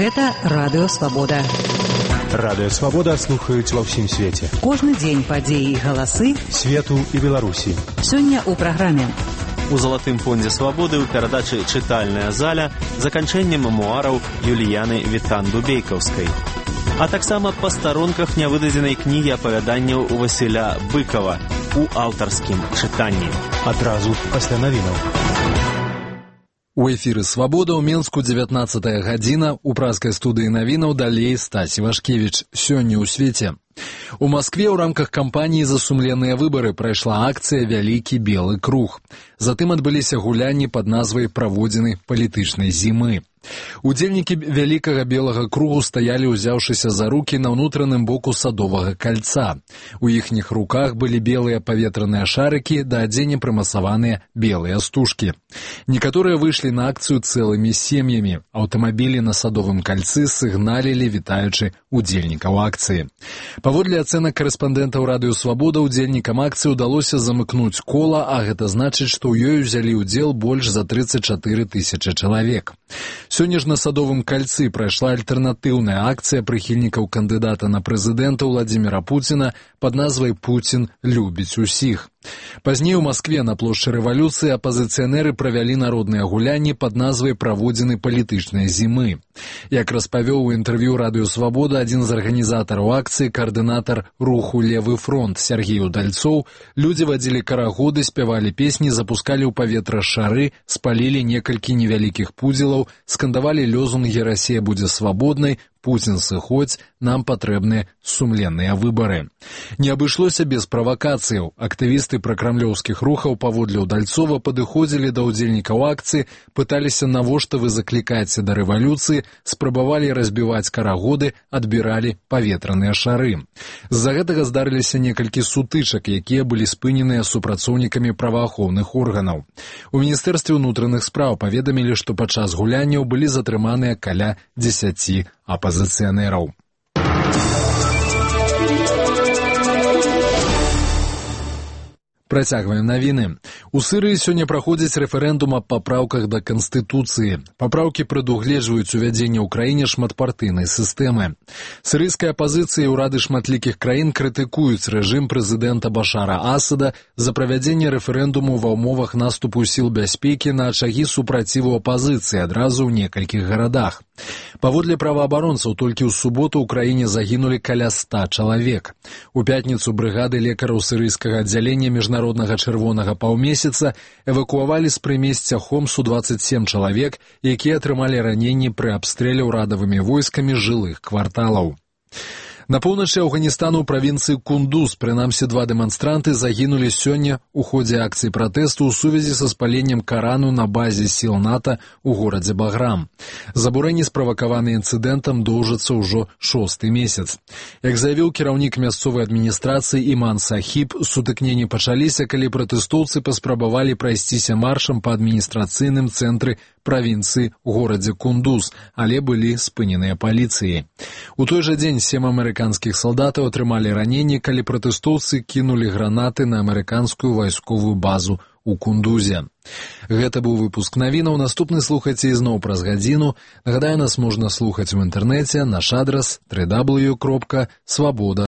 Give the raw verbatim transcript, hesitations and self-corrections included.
Гэта Радыё Свабода. Радыё Свабода слухаюць ва ўсім свеце. Кожны дзень падзеі і галасы свету і Беларусі. Сёння ў праграме. У залатым фондзе свабоды ў перадачы «Чытальная заля» заканчэнне мемуараў Юліяны Вітан-Дубейкаўскай. А таксама па старонках нявыдадзенай кнігі апавяданняў Васіля Быкова у аўтарскім чытанні. Адразу пасля навінаў. У эфіры «Свабода» ў Менску дзевятнаццатая гадзіна, у празкай студыі навінаў далей Стасі Вашкевіч. Сёння ў свеце. У Маскве ў рамках кампаніі «За сумленныя выбары» прайшла акцыя «Вялікі белы круг». Затым адбыліся гулянні пад назвай «Праводзіны палітычнай зімы». Удзельнікі вялікага белага кругу стаялі, узяўшыся за рукі на ўнутраным боку садовага кальца. У іхніх руках былі белыя паветраныя шарыкі, да адзення прымасаваныя белыя стужкі. Некаторыя выйшлі на акцыю цэлымі сем'ямі. Аўтамабілі на садовым кальцы сігналілі, вітаючы удзельнікаў акцыі. Паводле ацэнак карэспандэнтаў Радыё Свабода, удзельнікам акцыі ўдалося замыкнуць кола, а гэта значыць, што ў ёй узялі ўдзел больш за трыццаць чатыры тысячы чалавек. Сёння ж на садовым кальцы прайшла альтэрнатыўная акцыя прыхільнікаў кандыдата на прэзідэнта Владзіміра Пуціна пад назвай «Пуцін любіць усіх». Пазней у Маскве на плошчы рэвалюцыі апазіцыянеры правялі народныя гулянні пад назвай «Праводзіны палітычнай зімы». Як распавёў у інтэрв'ю Радыё Свабода адзін з арганізатараў акцыі, каардынатар руху «Левы фронт» Сергей Удальцоў, людзі вадзілі карагоды, спявалі песні, запускалі ў паветра шары, спалілі некалькі невялікіх пудзелаў, скандавалі лёзунгі «Расія будзе свабоднай», «Пуцін сыходзь», «Нам патрэбныя сумленныя выбары». Не абышлося без правакацыяў. Актывісты пракрамлёўскіх рухаў паводле Удальцова падыходзілі да ўдзельнікаў акцыі, пыталіся, навошта вы заклікаеце да рэвалюцыі, спрабавалі разбіваць карагоды, адбіралі паветраныя шары. З-за гэтага здарыліся некалькі сутычак, якія былі спыненыя супрацоўнікамі праваахоўных органаў. У Міністэрстве ўнутраных спраў паведамілі, што падчас гулянняў былі затрыманыя каля дзесяці апазіцыянераў. Працягваем навіны. У Сырыі сёння праходзіць рэферэндум аб папраўках да Канстытуцыі. Папраўкі прадугледжваюць увядзенне ў краіне шматпартыйнай сістэмы. Сырыйская апазіцыя і ўрады шматлікіх краін крытыкуюць рэжым прэзідэнта Башара Асада за правядзенне рэферэндуму ва ўмовах наступу сіл бяспекі на ачагі супраціву апазіцыі адразу ў некалькіх гарадах. Паводле праваабаронцаў, толькі ў суботу ў краіне загінулі каля ста чалавек. У пятніцу брыгады лекараў сырыйскага аддзялення міжнароднага чырвонага паўмесяца эвакуавалі з прымесця Хомсу дваццаць сем чалавек, якія атрымалі раненні пры абстрэле ўрадавымі войскамі жылых кварталаў. На поўначы Афганістану ў правінцыі Кундуз, прынамсі два дэманстранты загінулі сёння ў ходзе акцыі пратэсту ў сувязі са спаленнем Карану на базе сіл НАТО ў горадзе Баграм. Забурэнні, справакаваныя інцыдэнтам, доўжацца ўжо шосты месяц. Як заявіў кіраўнік мясцовай адміністрацыі Іман Сахіб, сутыкненні пачаліся, калі пратэстоўцы паспрабавалі прайсціся маршам па адміністрацыйным цэнтры правінцыі ў горадзе Кундуз, але былі спыненыя паліцыяй. У той жа дзень сем амерыканскіх салдатаў атрымалі раненні, калі пратэстоўцы кінулі гранаты на амерыканскую вайсковую базу у Кундузе. Гэта быў выпуск навінаў. Наступны слухайце ізноў праз гадзіну. Нагадаю, нас можна слухаць у інтэрнэце, наш адрас дабл ю дабл ю дабл ю кропка свабода